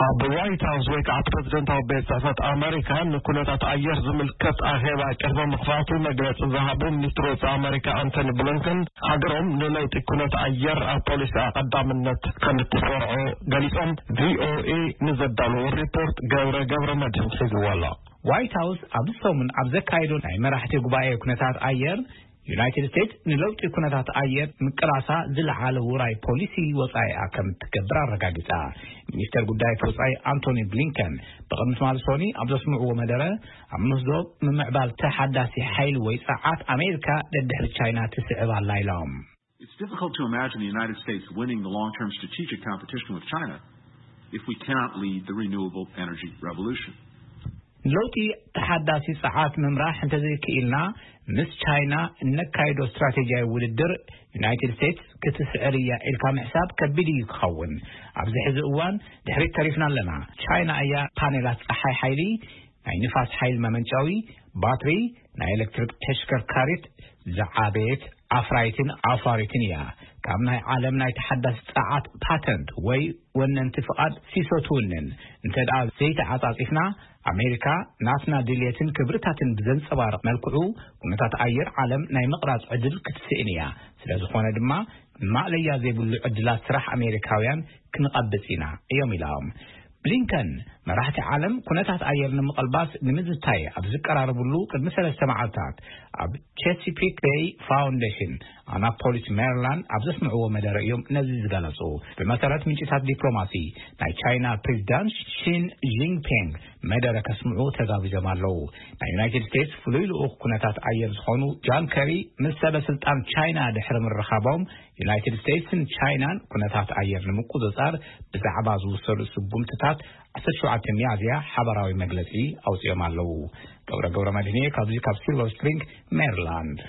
ኣብ ዋይት ሃውስ ወይ ከዓ ፕረዚደንታዊ ቤት ጽሕፈት ኣመሪካ ንኩነታት ኣየር ዝምልከት ኣኼባ ቅድሚ ምኽፋቱ መግለጺ ዝሃቡ ሚኒስትር ወጻኢ ኣመሪካ ኣንቶኒ ብሊንከን፣ ሃገሮም ንለውጢ ኩነት ኣየር ኣብ ፖሊሲ ቀዳምነት ከም እትሰርዖ ገሊጾም። ቪኦኤ ንዘዳለዎ ሪፖርት ገብረ ገብረ መድህን ሒዝዎ ኣሎ። ዋይት ሃውስ ኣብዚ ሰሙን ኣብ ዘካየዶ ናይ መራሕቲ ጉባኤ ኩነታት ኣየር፣ ዩናይትድ ስቴትስ ንለውጢ ኩነታት ኣየር ምቅላሳ ዝለዓለ ውራይ ፖሊሲ ወጻኢኣ ከም እትገብር ኣረጋጊጻ። ሚኒስተር ጉዳያት ወጻኢ ኣንቶኒ ብሊንከን ብቕድሚ ትማሊ ሶኒ ኣብ ዘስምዕዎ መደረ፣ ኣብ ምህዞ ምምዕባል ተሓዳሲ ሓይሊ ወይ ጸዓት ኣሜሪካ ደድሕሪ ቻይና ትስዕብ ኣላ ኢሎም። It's difficult to imagine the United States winning the long-term strategic competition with China if we cannot lead the renewable energy revolution. ንለውጢ ተሓዳሲ ጸዓት ምምራሕ እንተዘይክኢልና፣ ምስ ቻይና እነካይዶ ስትራቴጂያዊ ውድድር ዩናይትድ ስቴትስ ክትስዕር እያ ኢልካ ምሕሳብ ከቢድ እዩ ክኸውን። ኣብዚ ሕዚ እዋን ድሕሪት ተሪፍና ኣለና። ቻይና እያ ፓኔላት ጸሓይ ሓይሊ፣ ናይ ንፋስ ሓይሊ መመንጨዊ፣ ባትሪ፣ ናይ ኤሌክትሪክ ተሽከርካሪት ዝዓበየት ኣፍራይትን ኣፋሪትን እያ። ካብ ናይ ዓለም ናይ ተሓዳሲ ጸዓት ፓተንት ወይ ወነንቲ ፍቓድ ሲሶ ትውንን። እንተ ደኣ ዘይተዓጻጺፍና፣ ኣሜሪካ ናትና ድልየትን ክብርታትን ብዘንጸባርቕ መልክዑ፣ ኩነታት ኣየር ዓለም ናይ ምቕራጽ ዕድል ክትስእን እያ። ስለ ዝኾነ ድማ፣ ማእለያ ዘይብሉ ዕድላት ስራሕ ኣሜሪካውያን ክንቐብጽ ኢና እዮም ኢሎም። ብሊንከን፣ መራሕቲ ዓለም ኩነታት ኣየር ንምቕልባስ ንምዝታይ ኣብ ዝቀራረብሉ ቅድሚ ሰለስተ መዓልታት፣ ኣብ ቼሲፒክ ቤይ ፋውንዴሽን ኣናፖሊስ ሜሪላንድ ኣብ ዘስምዕዎ መደረ እዮም ነዚ ዝገለጹ። ብመሰረት ምንጭታት ዲፕሎማሲ፣ ናይ ቻይና ፕሬዚዳንት ሺን ጂንፒንግ መደረ ከስምዑ ተጋቢዞም ኣለዉ። ናይ ዩናይትድ ስቴትስ ፍሉይ ልኡኽ ኩነታት ኣየር ዝኾኑ ጃን ከሪ ምስ ሰበ ስልጣን ቻይና ድሕሪ ምርኻቦም፣ ዩናይትድ ስቴትስን ቻይናን ኩነታት ኣየር ንምቁጽጻር ብዛዕባ ዝውሰዱ ስጉምትታት ዓሰርተ ሸውዓተ ሚያዝያ ሓባራዊ መግለጺ ኣውጺኦም ኣለዉ። ገብረ ገብረ መድህንየ ካብዚ ካብ ሲልቨር ስፕሪንግ ሜሪላንድ።